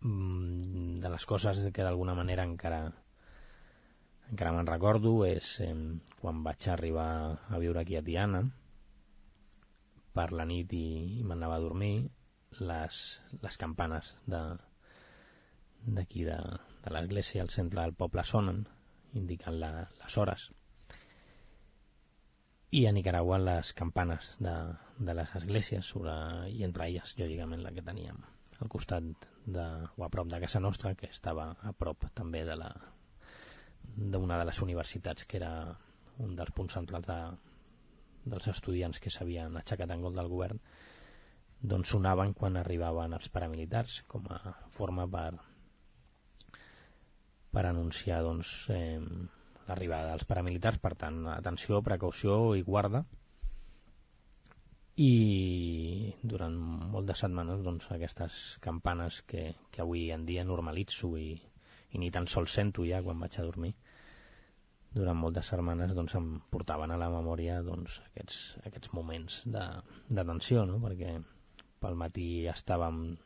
De les coses que d'alguna manera encara me'n recordo és quan vaig arribar a viure aquí a Tiana per la nit i m'anava a dormir, les campanes d'aquí de l'església al centre del poble sonen, indicant les hores. I a Nicaragua les campanes de les esglésies, i entre elles, lògicament, la que teníem al costat o a prop de casa nostra, que estava a prop també d'una de les universitats, que era un dels punts centrals dels estudiants que s'havien aixecat en gol del govern, doncs sonaven quan arribaven els paramilitars, com a forma per anunciar l'arribada dels paramilitars. Per tant, atenció, precaució i guarda. I durant molt de setmanes aquestes campanes que avui en dia normalitzo i ni tan sols sento ja quan vaig a dormir, durant moltes setmanes em portaven a la memòria aquests moments de tensió, no? Perquè pel matí estàvem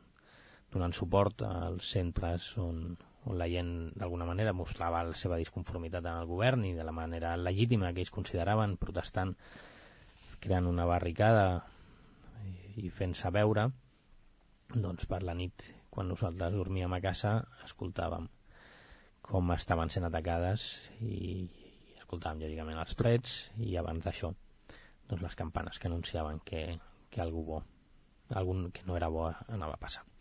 donant suport als centres on la gent d'alguna manera mostrava la seva disconformitat amb el govern i de la manera legítima que ells consideraven, protestant, creant una barricada i fent-se veure. Doncs per la nit, quan nosaltres dormíem a casa, escoltàvem com estaven sent atacades i escoltàvem lògicament els trets, i abans d'això les campanes que anunciaven que algú que no era bo anava a passar.